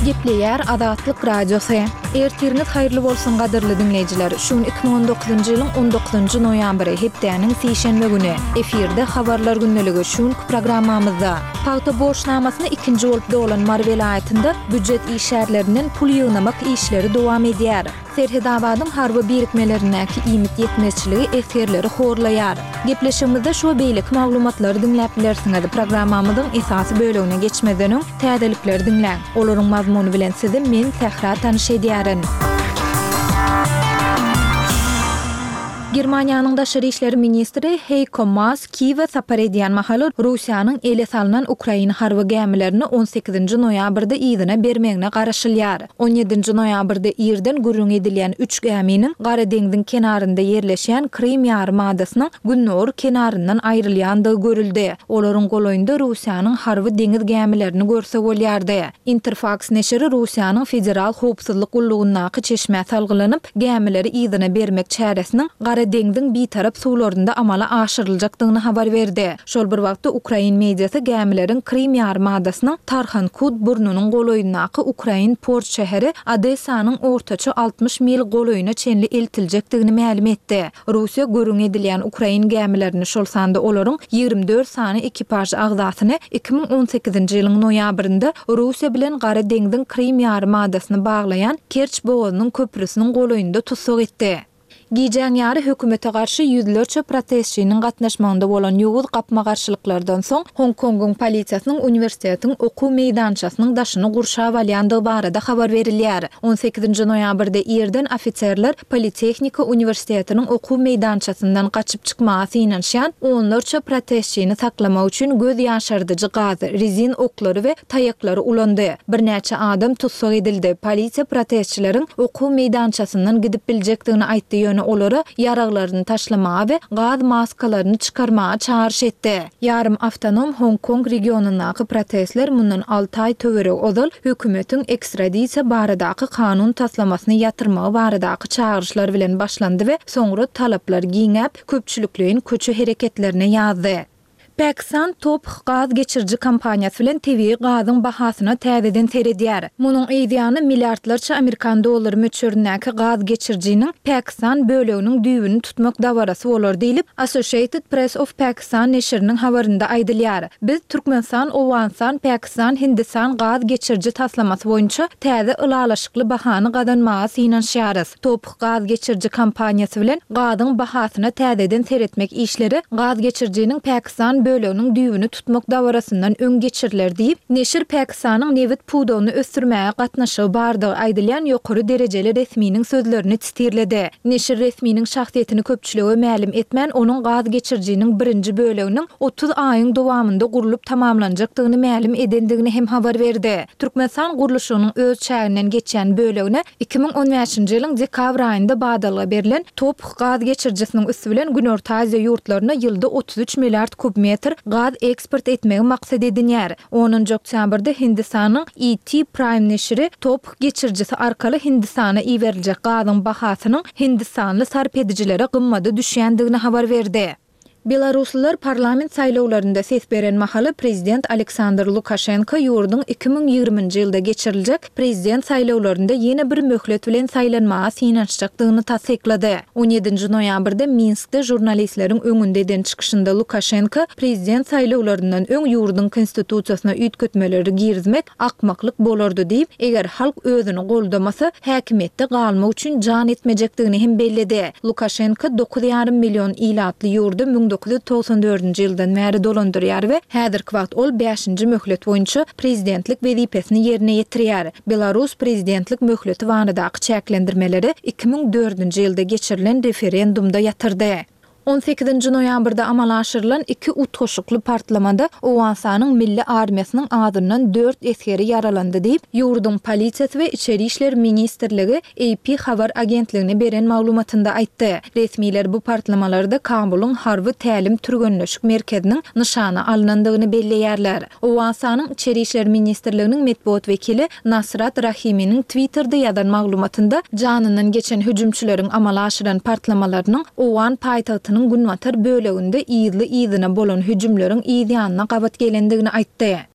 Gepleýär Azatlyk Radiosy. Ertiriňiz haýyrly bolsun gadyrly diňleýjiler. Şu gün 2019-njy ýylyň 19-njy noýabry, hepdäniň sişenbe güni. Efirde Habarlar gündeligi şu günki programmamyzda. Pagta borçnamasyny ikinji bolup dolan Mary welaýatynda býujet işgärlerinden pul ýygnamak işleri dowam edýär. Serhetabadyň harby birikmelerindäki iýmit ýetmezçiligi esgerleri horlaýar. Gepleşigimizde şu we beýleki maglumatlary diňläp bilersiňiz. Programmamyzyň esasy bölegine geçmezden öň, täzelikleri diňläň. Olaryň mazmuny bilen sizi men, Sähra tanyş edýärin. Germaniýanyň daşary işler ministri Heiko Maas Kiýewe sapar edýän mahaly Russiýanyň ele salnan ukrain harby gämilerini on sekizinji noýabrda yzyna bermegine garaşylýar. On ýedinji noýabrda irden gürrüň edilýän üç gäminiň Gara deňziň kenarynda ýerleşýän Krym ýarymadasynyň gündogar kenaryndan aýrylýandygy görüldi. Olaryň golaýynda Russiýanyň harby deňiz gämilerini görse bolýardy. Interfaks neşiri Russiýanyň Federal howpsuzlyk gullugyndaky çeşmä salgylanyp, gämileri yzyna bermek çäresiniň Gara deňziň bitarap suwlarynda amala aşyryljakdygyny habar berdi. Şol bir wagtda, ukrain mediasy gämileriň Krym ýarymadasynyň Tarhankut burnunyň golaýyndaky ukrain port şäheri Odessanyň ortaça 60 mil golaýyna çenli eltiljekdigini mälim etdi. Russiýa gürrüň edilýän ukrain gämilerini, şol sanda olaryň 24 sany ekipaž agzasyny 2018-nji ýylyň noýabrynda Russiýa bilen Gara deňziň Krym ýarymadasyny baglaýan Kerç bogazynyň köprüsiniň golaýynda tussag etdi. Gijäň ýary hökümete garşy ýüzlerçe protestçiniň gatnaşmagynda bolan ýowuz gapma-garşylyklardan soň, Hong-Kongyň polisiýasynyň uniwersitetiň okuw meýdançasynyň daşyny gurşap alýandygy barada habar berilýär. On sekizinji noýabrda irden ofiserler Politehnika uniwersitetiniň okuw meýdançasyndan gaçyp çykmaga synanyşýan onlarça protestçini saklamak üçin göz ýaşardyjy gaz, rezin oklary we taýaklary ulandy. Birnäçe adam tussag edildi. Polisiýa protestçileriň okuw meýdançasyndan gidip biljekdigini aýtdy, ýöne olara ýaraglaryny taşlamaga we gaz maskalaryny çykarmaga çagyryş etdi. Ýarym awtonom Hong-Kong regionyndaky protestler mundan alty aý töweregi ozal hökümetiň ekstradisiýa baradaky kanun taslamasyny ýatyrmagy baradaky çagyryşlar bilen başlandy we soňra talaplar giňäp, köpçülikleýin köçe hereketlerine ýazdy. Pakistan TOPH gaz geçiriji kompaniýasy bilen tebigy gazyň bahasyna täzeden seredýär. Munuň yzýany milliardlarça amerikan dollary möçberindäki gaz geçirijiniň Pakistan böleginiň düýbüni tutmak dabarasy bolar diýlip, Associated Press of Pakistan neşiriniň habarynda aýdylýar. Biz Türkmenistan, Owganystan, Pakistan, Hindistan gaz geçiriji taslamasy boýunça täze ylalaşykly bahany gazanmaga synanyşýarys. TOPH gaz geçiriji kompaniýasy bilen gazyň bahasyna täzeden seretmek işleri gaz geçirijiniň Pakistan böleginiň düýbüni tutmak dabarasyndan öň geçiriler diýip, neşir Pakistanyň nebit pudagyny ösdürmäge gatnaşygy bardygy aýdylýan ýokary derejeli resminiň sözlerini sitirledi. Neşir resminiň şahsyýetini köpçülige mälim etmän, onuň gaz geçirijiniň birinji böleginiň 30 aýyň dowamynda gurlup tamamlanjakdygyny mälim edendigini hem habar berdi. Türkmenistan gurluşygynyň öz çäginden geçýän bölegine 2015-nji ýylyň dekabr aýynda badalga berlen TOPH gaz geçirijisiniň üsti bilen Günorta Aziýa ýurtlaryna ýylda 33 milliard kub metr gaz eksport etmegi maksat edinýär. Onunjy oktýabrda Hindistanyň ET Prime neşiri TOPH geçirijisi arkaly Hindistana iberiljek gazyň bahasynyň hindistanly sarp edijilere gymmada düşýändigini habar berdi. Belaruslylar parlament saýlawlarynda ses beren mahaly prezident Aleksandr Lukaşenko ýurduň 2020-nji ýylda geçiriljek prezident saýlawlarynda ýene bir möhlet bilen saýlanmaga synanyşjakdygyny tassyklady. On ýedinji noýabrda Minskde žurnalistleriň öňünde eden çykyşynda Lukaşenko prezident saýlawlaryndan öň ýurduň konstitusiýasyna üýtgetmeleri girizmek akmaklyk bolardy diýip, eger halk özüni goldamasa, häkimiýetde galmak üçin jan etmejekdigini hem belledi. Lukaşenko dokuz ýarym million ilatly ýurdy 1994-nji ýyldan bäri dolandyrýar we häzirki wagt ol bäşinji möhlet boýunça prezidentlik wezipesini ýerine ýetirýär. Belarus prezidentlik möhleti baradaky çäklendirmeleri 2004-nji ýylda geçirilen referendumda ýatyrdy. On sekizinji noýabrda amala aşyrylan iki utgaşykly partlamada Owganystanyň milli armiýasynyň azyndan dört esgeri ýaralandy diýip, ýurduň polisiýasy we Içeri işler ministrligi AP habar agentligine beren maglumatynda aýtdy. Resmiler bu partlamalarda Kabulyň harby tälim-türgenleşik merkeziniň nyşana alnandygyny belleýärler. Owganystanyň Içeri işler ministrliginiň metbugat wekili Nasrat Rahiminiň Twitterde ýazan maglumatynda janyndan geçen hüjümçileriň amala aşyran partlamalarynyň owgan paýtagtynyň günbatar böleginde yzly-yzyna bolan hüjümleriň yz ýanyna gabat gelendigini aýtdy.